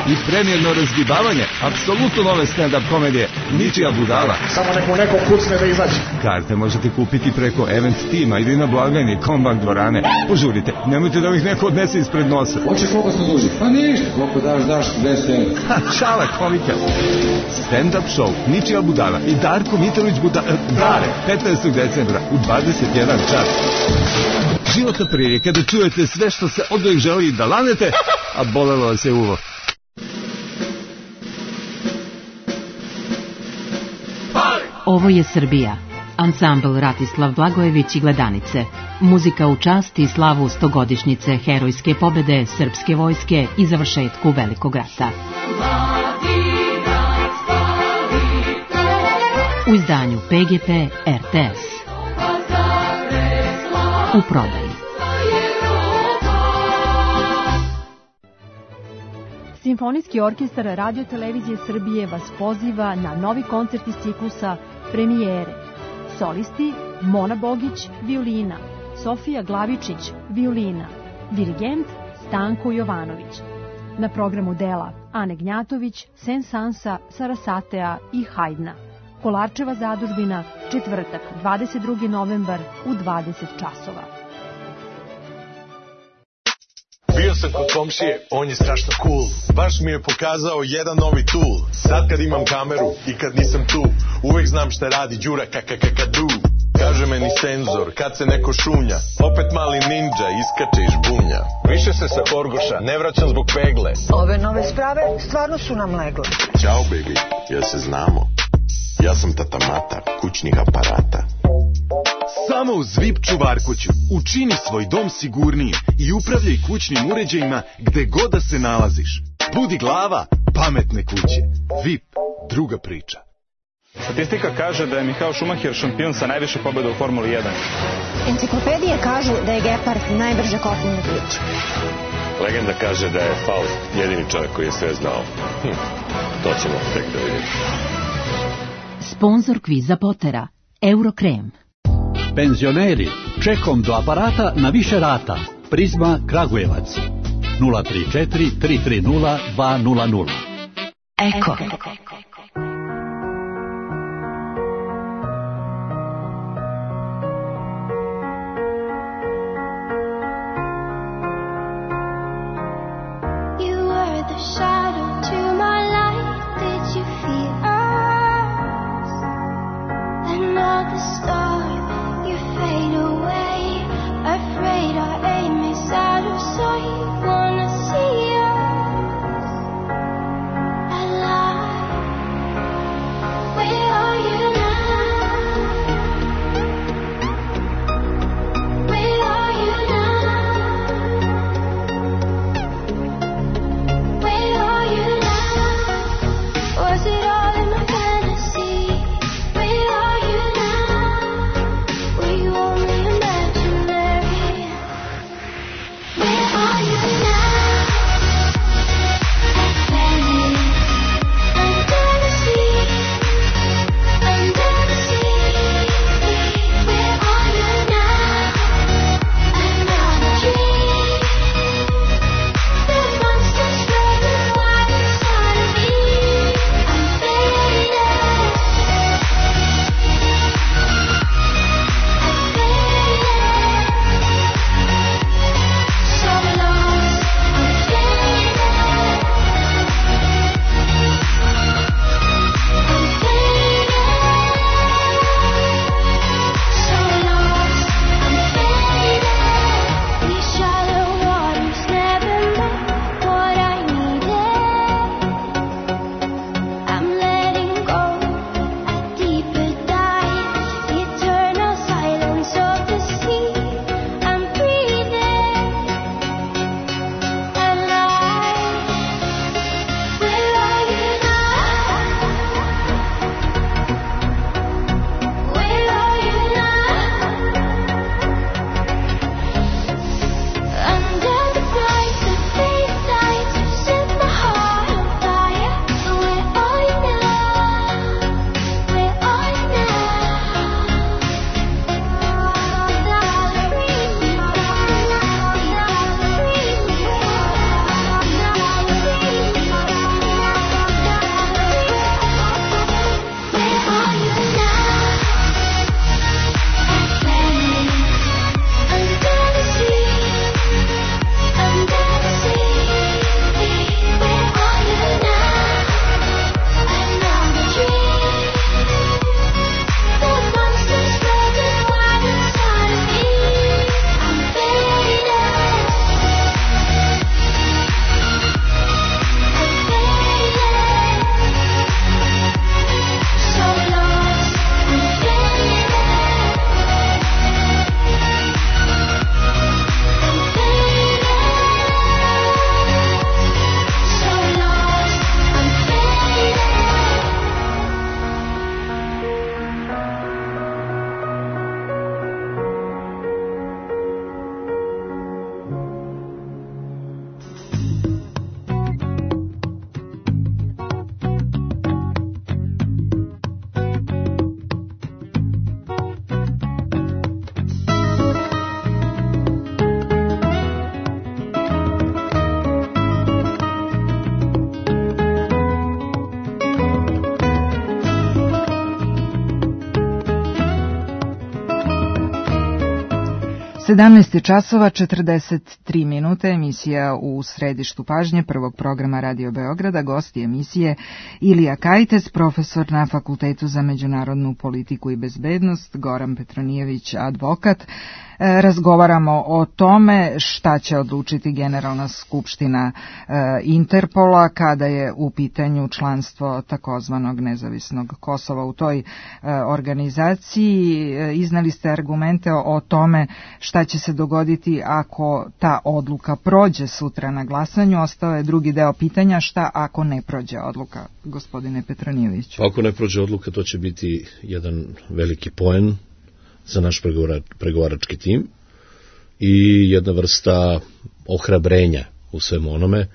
I premijerno razgibavanje apsolutno nove stand-up komedije Ničija budala. Samo neko kucne da izađe. Karte možete kupiti preko Event Tima ili na blagajni Kombank dvorane. Požurite, nemojte da ih neko odnese ispred nosa. Hoćeš koliko smo duži? Pa ništa, koliko daš 200. Šala komika. Stand-up show Ničija budala i Darko Mitrović Dare 15. decembra u 21 čas. Životna prilika da čujete sve što se od uvijek želi da lanete, a bolelo vas je uvo. Ovo je Srbija. Ansambl Ratislav Blagojević i Gledanice. Muzika u čast i slavu 100-godišnjice herojske pobede srpske vojske i završetku Velikog rata. U izdanju PGP RTS. U prodaji. Simfonijski orkestar Radio Televizije Srbije vas poziva na novi koncert iz ciklusa Premijere. Solisti Mona Bogić, violina, Sofija Glavičić, violina, dirigent Stanko Jovanović. Na programu dela Ane Gnjatović, Sensansa, Sarasatea i Hajdna. Kolarčeva zadužbina, četvrtak, 22. novembar u 20 časova. Bio sam kod komšije, on je strašno cool. Baš mi je pokazao jedan novi tool. Sad kad imam kameru i kad nisam tu, uvek znam šta radi Đura kakakakadu. Kaže meni senzor, kad se neko šunja, opet mali ninja iskače iz žbunja. Više se sa Horgoša ne vraćam zbog pegle. Ove nove sprave stvarno su nam legle. Ćao baby, jel se znamo? Ja sam tata Mata, kućnih aparata. Samo u Zvip čuvarkuću učini svoj dom sigurnijim i upravljaj kućnim uređajima gde god da se nalaziš. Budi glava pametne kuće. VIP, druga priča. Statistika kaže da je Michael Schumacher šampion sa najviše pobjeda u Formuli 1. Enciklopedije kažu da je Gepard najbrže kopneni klič. Legenda kaže da je Faust jedini čovjek koji je sve znao. To ćemo tek da vidimo. Sponzor kviza Potera, Eurokrem. Penzioneri, čekom do aparata na više rata. Prizma Kragujevac. 034 330 200. Eko. 17 časova 43 minuta, emisija u središtu pažnje prvog programa Radio Beograda. Gosti emisije Ilija Kajtes, profesor na Fakultetu za međunarodnu politiku i bezbednost, Goran Petronijević, advokat. Razgovaramo o tome šta će odlučiti Generalna skupština Interpola kada je u pitanju članstvo takozvanog nezavisnog Kosova u toj organizaciji. Iznali ste argumente o tome šta će se dogoditi ako ta odluka prođe sutra na glasanju. Ostao je drugi deo pitanja, šta ako ne prođe odluka, gospodine Petronijeviću? Ako ne prođe odluka, to će biti jedan veliki poen za naš pregovarački tim i jedna vrsta ohrabrenja u svemu onome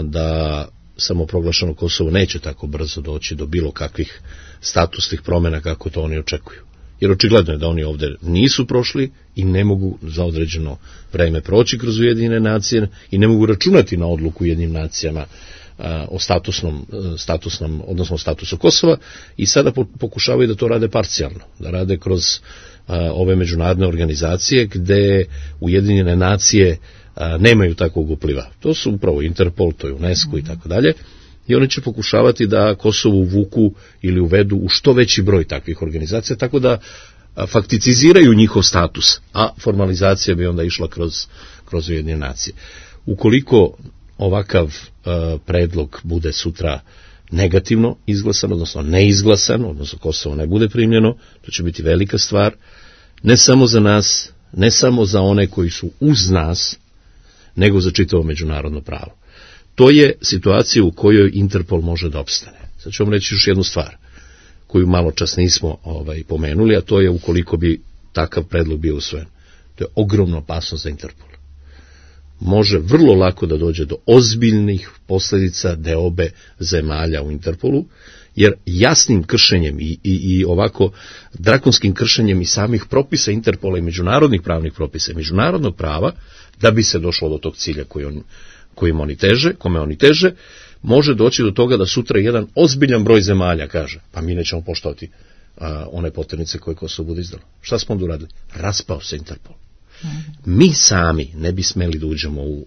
da samoproglašeno Kosovo neće tako brzo doći do bilo kakvih statusnih promjena kako to oni očekuju. Jer očigledno je da oni ovdje nisu prošli i ne mogu za određeno vreme proći kroz Ujedinjene nacije i ne mogu računati na odluku Ujedinjenim nacijama o statusnom, odnosno statusu Kosova, i sada pokušavaju da to rade parcijalno, da rade kroz ove međunarodne organizacije gde Ujedinjene nacije nemaju takvog upliva. To su upravo Interpol, to je UNESCO i tako dalje, i oni će pokušavati da Kosovo uvuku ili uvedu u što veći broj takvih organizacija, tako da fakticiziraju njihov status, a formalizacija bi onda išla kroz Ujedinjene nacije. Ukoliko ovakav predlog bude sutra negativno izglasan, odnosno neizglasan, odnosno Kosovo ne bude primljeno, to će biti velika stvar, ne samo za nas, ne samo za one koji su uz nas, nego za čitavo međunarodno pravo. To je situacija u kojoj Interpol može da opstane. Sad ću vam reći još jednu stvar, koju malo čas nismo pomenuli, a to je ukoliko bi takav predlog bio usvojen. To je ogromna opasnost za Interpol. Može vrlo lako da dođe do ozbiljnih posljedica deobe zemalja u Interpolu, jer jasnim kršenjem i ovako drakonskim kršenjem i samih propisa Interpola i međunarodnih pravnih propisa i međunarodnog prava, da bi se došlo do tog cilja kome oni teže, može doći do toga da sutra jedan ozbiljan broj zemalja kaže, pa mi nećemo poštovati one poternice koje Kosovo bude izdalo. Šta smo onda uradili? Raspao se Interpol. Mi sami ne bi smeli da uđemo u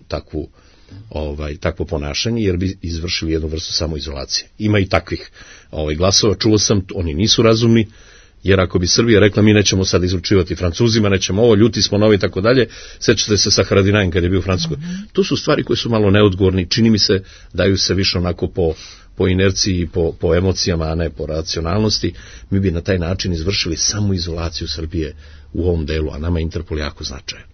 takvo ponašanje, jer bi izvršili jednu vrstu samoizolacije. Ima i takvih glasova, čuo sam, oni nisu razumni, jer ako bi Srbija rekla mi nećemo sad izručivati Francuzima, nećemo ovo, ljuti smo novi i tako dalje, sećate se sa Haradinajem kad je bio u Francuskoj. To su stvari koje su malo neodgovorni, čini mi se daju se više onako po inerciji i po emocijama, a ne po racionalnosti. Mi bi na taj način izvršili samoizolaciju Srbije u ovom delu, a nama je Interpol jako značajan.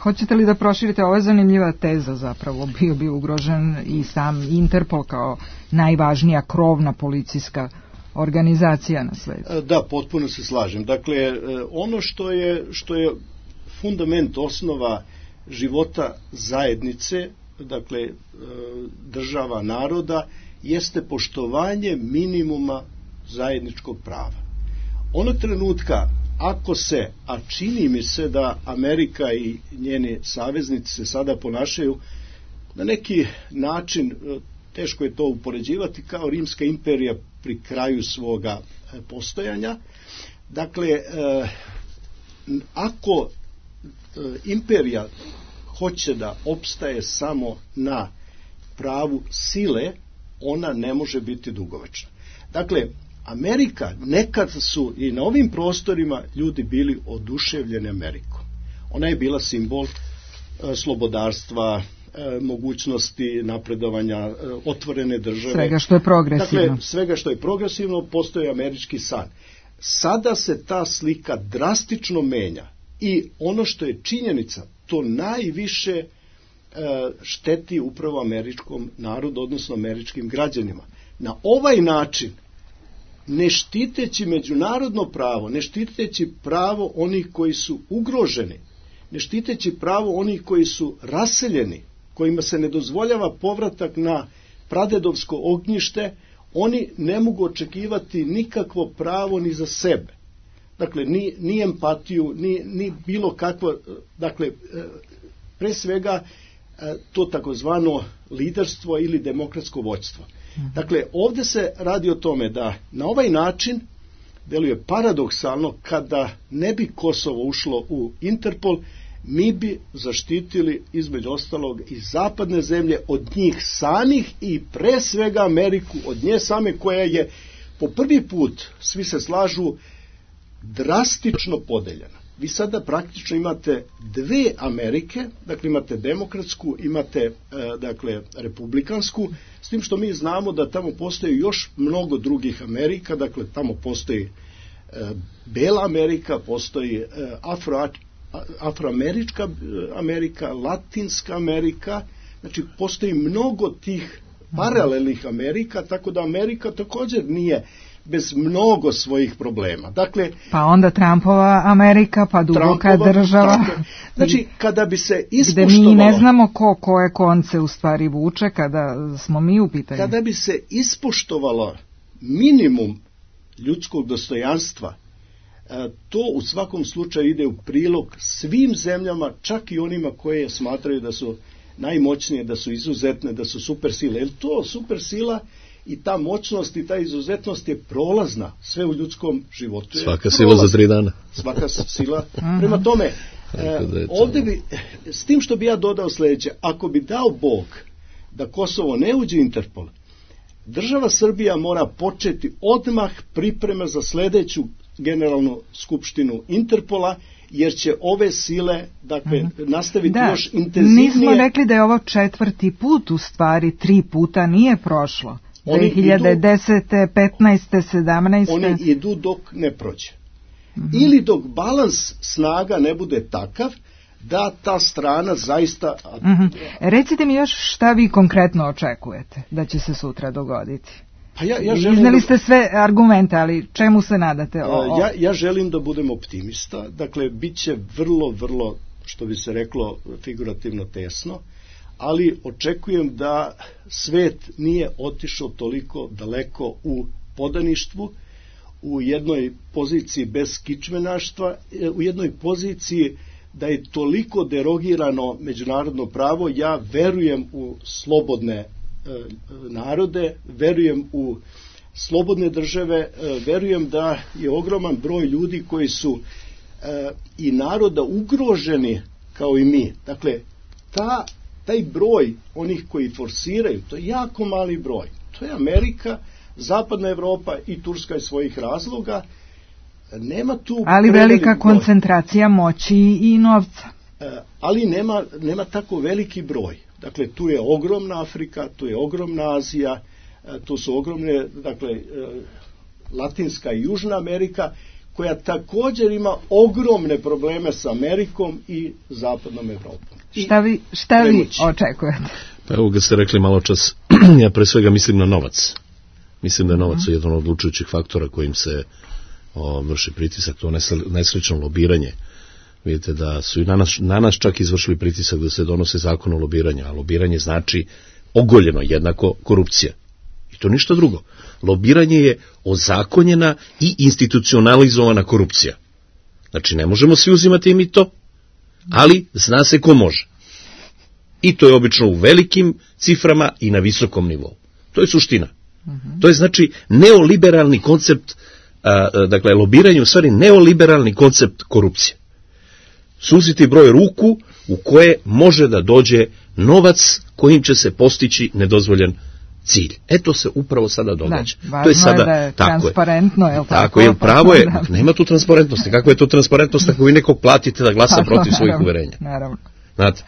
Hoćete li da proširite, ovo je zanimljiva teza zapravo, bio bi ugrožen i sam Interpol kao najvažnija krovna policijska organizacija na svetu. Da, potpuno se slažem. Dakle, ono što je fundament, osnova života zajednice, dakle država, naroda, jeste poštovanje minimuma zajedničkog prava. Onog trenutka, ako se, a čini mi se da Amerika i njeni saveznici se sada ponašaju na neki način, teško je to upoređivati, kao Rimska imperija pri kraju svoga postojanja. Dakle, ako imperija hoće da opstaje samo na pravu sile, ona ne može biti dugovečna. Dakle, Amerika, nekad su i na ovim prostorima ljudi bili oduševljeni Amerikom. Ona je bila simbol slobodarstva, mogućnosti napredovanja, otvorene države. Svega što je progresivno. Dakle, svega što je progresivno, postoji američki san. Sada se ta slika drastično menja i ono što je činjenica, to najviše šteti upravo američkom narodu, odnosno američkim građanima. Na ovaj način, ne štiteći međunarodno pravo, ne štiteći pravo onih koji su ugroženi, ne štiteći pravo onih koji su raseljeni, kojima se ne dozvoljava povratak na pradedovsko ognjište, oni ne mogu očekivati nikakvo pravo ni za sebe. Dakle, ni empatiju, ni bilo kakvo, dakle, pre svega to takozvano liderstvo ili demokratsko vođstvo. Dakle, ovdje se radi o tome da na ovaj način deluje paradoksalno, kada ne bi Kosovo ušlo u Interpol, mi bi zaštitili između ostalog i zapadne zemlje od njih samih i pre svega Ameriku od nje same, koja je po prvi put, svi se slažu, drastično podeljena. Vi sada praktično imate dve Amerike, dakle imate demokratsku, imate dakle republikansku, s tim što mi znamo da tamo postoji još mnogo drugih Amerika, dakle tamo postoji Bela Amerika, postoji Afroamerička Amerika, Latinska Amerika, znači postoji mnogo tih paralelnih Amerika, tako da Amerika također nije bez mnogo svojih problema. Dakle, pa onda Trumpova Amerika, pa duboka država. Znači, kada bi se ispoštovalo... Gde mi ne znamo koje konce u stvari vuče kada smo mi u pitanju. Kada bi se ispoštovalo minimum ljudskog dostojanstva, to u svakom slučaju ide u prilog svim zemljama, čak i onima koje smatraju da su najmoćnije, da su izuzetne, da su supersile. Jer to supersila i ta moćnost i ta izuzetnost je prolazna sve u ljudskom životu. Svaka sila za 3 dana. Svaka sila. Prema tome, ovdje bi, s tim što bi ja dodao sljedeće, ako bi dao Bog da Kosovo ne uđe u Interpol, država Srbija mora početi odmah pripreme za sljedeću generalnu skupštinu Interpola, jer će ove sile, dakle, nastaviti još intenzivnije. Nismo rekli da je ovo 4. put, u stvari 3 puta nije prošlo. 2010. 15. 17. Oni idu dok ne prođe. Ili dok balans snaga ne bude takav da ta strana zaista... Recite mi još šta vi konkretno očekujete da će se sutra dogoditi. Pa ja želim izneli ste sve argumente, ali čemu se nadate? Ja želim da budem optimista. Dakle, bit će vrlo, vrlo, što bi se reklo, figurativno tesno, ali očekujem da svet nije otišao toliko daleko u podaništvu, u jednoj poziciji bez kičmenaštva, u jednoj poziciji da je toliko derogirano međunarodno pravo. Ja verujem u slobodne narode, verujem u slobodne države, verujem da je ogroman broj ljudi koji su i naroda ugroženi kao i mi. Dakle, taj broj onih koji forsiraju, to je jako mali broj. To je Amerika, Zapadna Evropa i Turska iz svojih razloga. Nema tu ali velika koncentracija moći i novca. Ali nema tako veliki broj. Dakle, tu je ogromna Afrika, tu je ogromna Azija, tu su ogromne, dakle, Latinska i Južna Amerika, koja također ima ogromne probleme sa Amerikom i Zapadnom Evropom. Šta vi očekujete? Pa evo ga ste rekli malo čas, ja pre svega mislim na novac. Mislim da je novac jedan od odlučujućih faktora kojim se vrši pritisak, to nesrećno lobiranje. Vidite da su i na nas čak izvršili pritisak da se donose zakon o lobiranju, a lobiranje znači ogoljeno jednako korupcija. I to ništa drugo. Lobiranje je ozakonjena i institucionalizovana korupcija. Znači ne možemo svi uzimati mito, ali zna se ko može. I to je obično u velikim ciframa i na visokom nivou. To je suština. To je znači neoliberalni koncept, dakle lobiranje u stvari neoliberalni koncept korupcije. Suziti broj ruku u koje može da dođe novac kojim će se postići nedozvoljen cilj. To se upravo sada događa. To je sada da je transparentno, je li tako? Tako je, pravo je, nema tu transparentnosti. Kako je to transparentnost ako vi nekog platite da glasa protiv svojih uverenja? Naravno. Znate,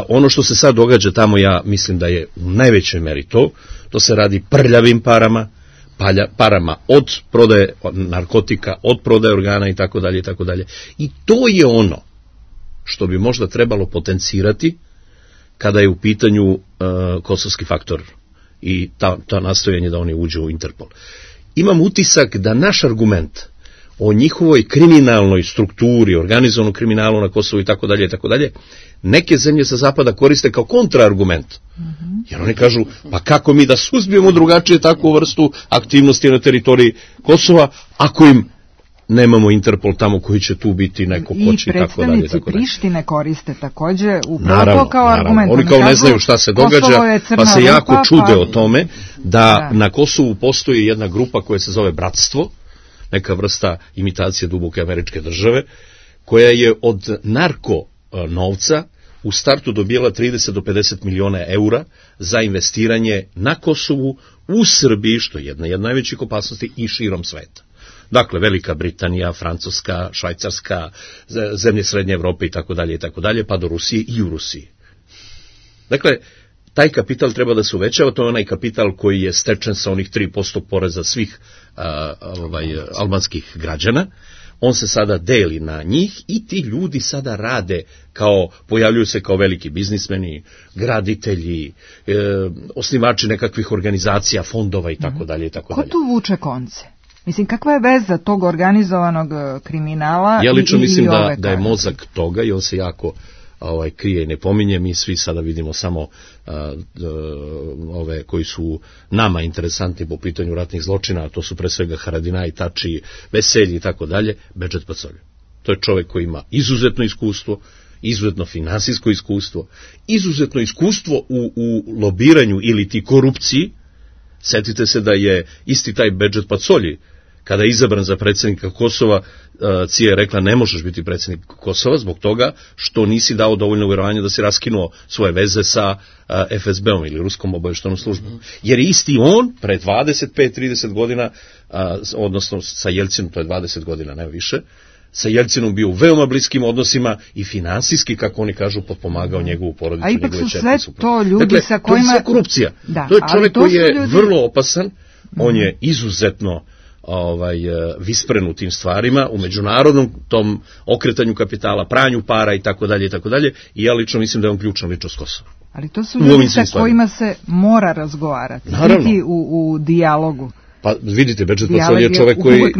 ono što se sad događa tamo, ja mislim da je u najvećoj meri to se radi prljavim parama od prodaje narkotika, od prodaje organa i tako dalje i tako dalje. I to je ono što bi možda trebalo potencirati kada je u pitanju kosovski faktor i ta nastojanje da oni uđu u Interpol. Imam utisak da naš argument o njihovoj kriminalnoj strukturi, organizovanom kriminalu na Kosovu i tako dalje, neke zemlje sa zapada koriste kao kontraargument. Jer oni kažu, pa kako mi da suzbijemo drugačije takvu vrstu aktivnosti na teritoriji Kosova, ako im nemamo Interpol tamo koji će tu biti neko koči i tako dalje. I predstavnici Prištine koriste također upravo kao argument. Oni kao ne znaju šta se događa, pa se jako čude o tome da na Kosovu postoji jedna grupa koja se zove Bratstvo, neka vrsta imitacije duboke američke države, koja je od narko novca u startu dobijala 30 do 50 miliona eura za investiranje na Kosovu, u Srbiji, što je jedna od najvećih opasnosti, i širom sveta. Dakle, Velika Britanija, Francuska, Švajcarska, zemlje Srednje Evrope i tako dalje, pa do Rusije i u Rusiji. Dakle, taj kapital treba da se uvećava, to je onaj kapital koji je stečen sa onih 3% poreza svih albanskih građana. On se sada deli na njih i ti ljudi sada rade pojavljuju se kao veliki biznismeni, graditelji, osnivači nekakvih organizacija, fondova i tako dalje. Ko tu vuče konce? Mislim, kakva je veza tog organizovanog kriminala? Ja lično mislim da je mozak toga i on se jako krije i ne pominje. Mi svi sada vidimo samo ove koji su nama interesantni po pitanju ratnih zločina, a to su pre svega Haradinaj, Tači, Veselji i tako dalje, Bedžet Pacolju. To je čovjek koji ima izuzetno iskustvo, izuzetno finansijsko iskustvo, izuzetno iskustvo u lobiranju ili ti korupciji. Setite se da je isti taj Bedžet Pacolji, kada je izabran za predsjednika Kosova, CIA je rekla ne možeš biti predsjednik Kosova zbog toga što nisi dao dovoljno uvjerovanja da si raskinuo svoje veze sa FSB-om ili Ruskom obavještajnom službom. Jer je isti on pre 25-30 godina, odnosno sa Jelcinom, to je 20 godina, ne više, sa Jelcinom bio u veoma bliskim odnosima i finansijski, kako oni kažu, potpomagao njegovu porodicu, njegove čerke. A ipak su sve to ljudi dakle, sa kojima... to je sve korupcija. Da, to je čovjek koji je vrlo opasan, on je izuzetno vispren u tim stvarima, u međunarodnom tom okretanju kapitala, pranju para i tako dalje, i ja lično mislim da je on ključna ličnost Kosova. Ali to su ljudi sa kojima se mora razgovarati, biti u dijalogu. Pa vidite, Bedžet Pacolji je čovjek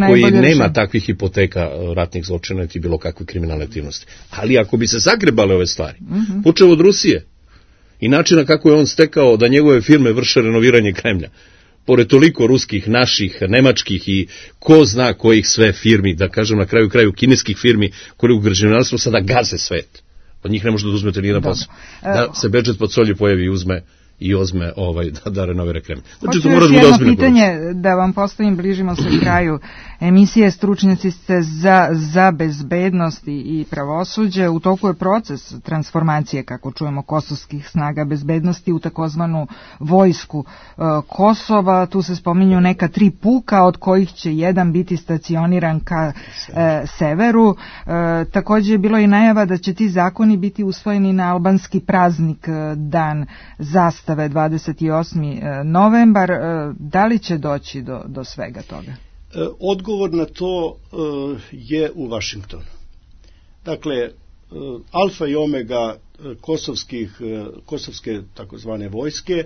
koji nema takvih hipoteka ratnih zločina niti bilo kakve kriminalne aktivnosti. Ali ako bi se zagrebale ove stvari, počeo od Rusije i načina kako je on stekao da njegove firme vrše renoviranje Kremlja, pored toliko ruskih, naših, nemačkih i ko zna kojih sve firmi, da kažem na kraju kineskih firmi koje u građevinarstvu sada gaze svet. Od njih ne možete da uzmete nijedan posao. Da se Bedžet Pacolji pojavi i uzme da renovira Kremlj. Znači, hoću još jedno pitanje da vam postavim, bližimo se kraju emisije. Stručnjaci ste za bezbednost i pravosuđe. U toku je proces transformacije, kako čujemo, kosovskih snaga bezbednosti u takozvanu vojsku Kosova. Tu se spominju neka 3 puka, od kojih će jedan biti stacioniran ka severu. Također je bilo i najava da će ti zakoni biti usvojeni na albanski praznik, dan zastave, 28. novembar. Da li će doći do svega toga? Odgovor na to je u Vašingtonu. Dakle, alfa i omega kosovske takozvane vojske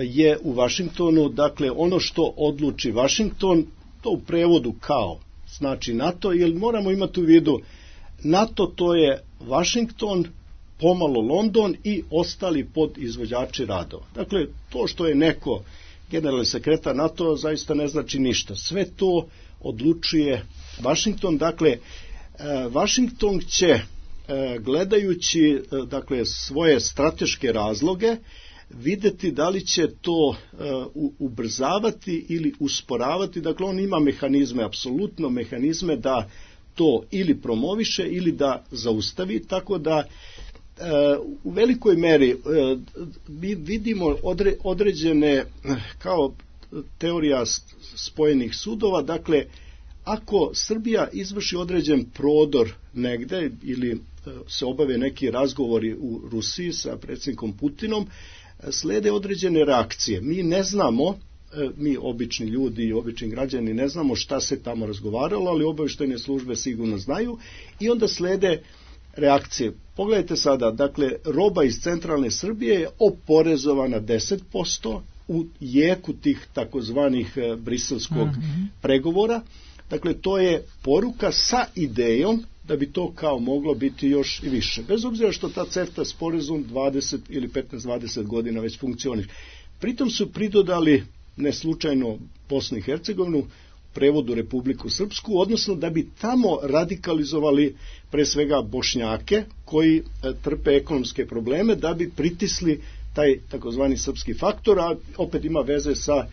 je u Vašingtonu. Dakle, ono što odluči Vašington, to u prevodu kao znači NATO, jer moramo imati u vidu NATO, to je Vašington, pomalo London i ostali podizvođači radova. Dakle, to što je neko generalni sekretar NATO zaista ne znači ništa. Sve to odlučuje Vašington. Dakle, Vašington će, gledajući svoje strateške razloge, vidjeti da li će to ubrzavati ili usporavati. Dakle, on ima mehanizme, apsolutno mehanizme da to ili promoviše ili da zaustavi, tako da u velikoj meri mi vidimo određene, kao teorija spojenih sudova. Dakle, ako Srbija izvrši određen prodor negde ili se obave neki razgovori u Rusiji sa predsjednikom Putinom, slede određene reakcije. Mi ne znamo, mi obični ljudi i obični građani ne znamo šta se tamo razgovaralo, ali obavještajne službe sigurno znaju i onda slede reakcije. Pogledajte sada, dakle, roba iz centralne Srbije je oporezovana 10% u jeku tih takozvanih briselskog pregovora. Dakle, to je poruka sa idejom da bi to kao moglo biti još i više. Bez obzira što ta CEFTA sporazum 20 ili 15-20 godina već funkcioniše. Pritom su pridodali, ne slučajno, Bosnu i Hercegovinu, prevodu Republiku Srpsku, odnosno da bi tamo radikalizovali pre svega Bošnjake koji trpe ekonomske probleme, da bi pritisli taj takozvani srpski faktor, a opet ima veze sa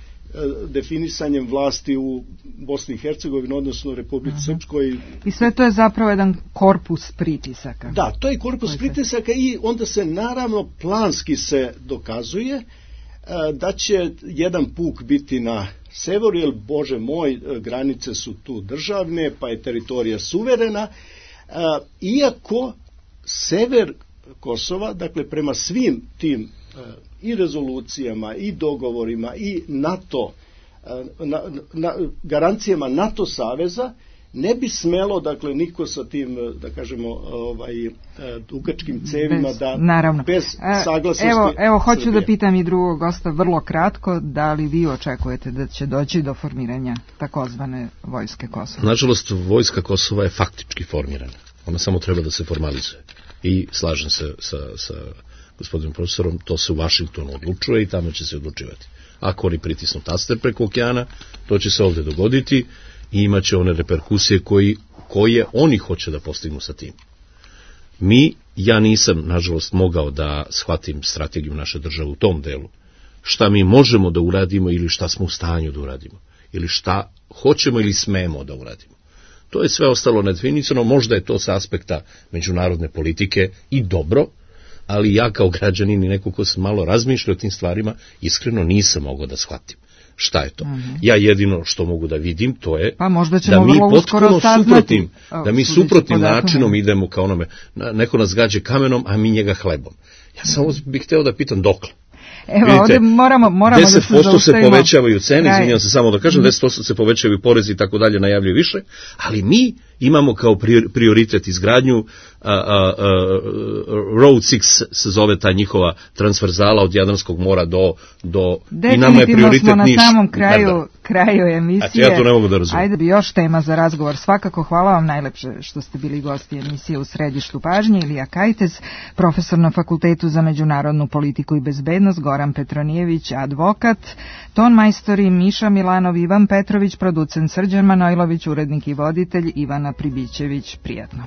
definisanjem vlasti u Bosni i Hercegovini, odnosno Republici Srpskoj. I sve to je zapravo jedan korpus pritisaka. Da, to je korpus pritisaka i onda se naravno planski se dokazuje da će jedan puk biti na severu, jer Bože moj, granice su tu državne, pa je teritorija suverena, iako sever Kosova, dakle prema svim tim i rezolucijama i dogovorima i NATO garancijama NATO saveza ne bi smelo, dakle, niko sa tim, da kažemo, dugačkim cevima bez saglasnosti. Evo, hoću da pitam i drugog gosta vrlo kratko, da li vi očekujete da će doći do formiranja takozvane vojske Kosova? Nažalost, vojska Kosova je faktički formirana. Ona samo treba da se formalizuje. I slažem se sa gospodinom profesorom, to se u Vašingtonu odlučuje i tamo će se odlučivati. Ako oni pritisnu taster preko okeana, to će se ovdje dogoditi i imat će one reperkusije koje oni hoće da postignu sa tim. Ja nisam, nažalost, mogao da shvatim strategiju naše države u tom delu. Šta mi možemo da uradimo ili šta smo u stanju da uradimo. Ili šta hoćemo ili smemo da uradimo. To je sve ostalo nedefinisano, možda je to sa aspekta međunarodne politike i dobro, ali ja kao građanin i neko ko se malo razmišlja o tim stvarima, iskreno nisam mogao da shvatim. Šta je to? Ja jedino što mogu da vidim, to je da mi potpuno suprotnim načinom idemo kao onome, neko nas gađe kamenom, a mi njega hlebom. Ja samo bih hteo da pitam dokle. Evo, ovdje moramo 10% se povećavaju cene, izvinjam se samo da kažem, 10% se povećavaju porezi i tako dalje, najavljuju više, ali mi imamo kao prioritet izgradnju Road 6 se zove ta njihova transverzala od Jadranskog mora do i nama je prioritet smo na samom kraju emisije. Ja to ne mogu da razumijem. Ajde bi još tema za razgovor. Svakako hvala vam najlepše što ste bili gosti emisije U središtu pažnje. Ilija Kajtez, profesor na Fakultetu za međunarodnu politiku i bezbednost, Goran Petronijević, advokat, ton majstori Miša Milanov, Ivan Petrović, producent Srđan Manojlović, urednik i voditelj Ivana Pribićević. Prijatno.